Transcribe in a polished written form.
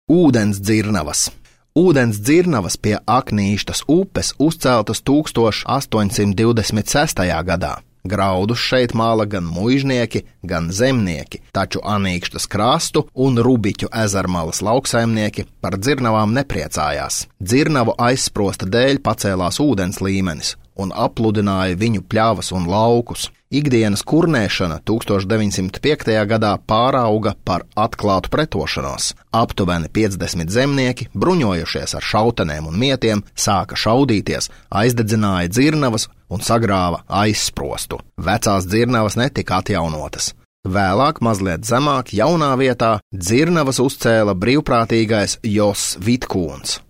Ūdens dzirnavas. Ūdens dzirnavas pie Aknīštas upes uzceltas 1826. gadā. Graudus šeit māla gan muižnieki, gan zemnieki, taču Anīkštas krastu un Rubiķu ezermalas lauksaimnieki par dzirnavām nepriecājās. Dzirnavu aizsprosta dēļ pacēlās ūdens līmenis un apludināja viņu pļavas un laukus. Ikdienas kurnēšana 1905. gadā pārauga par atklātu pretošanos. Aptuveni 50 zemnieki, bruņojušies ar šautenēm un mietiem, sāka šaudīties, aizdedzināja dzirnavas un sagrāva aizsprostu. Vecās dzirnavas netika atjaunotas. Vēlāk, mazliet zemāk, jaunā vietā, dzirnavas uzcēla brīvprātīgais Jos Vitkūns.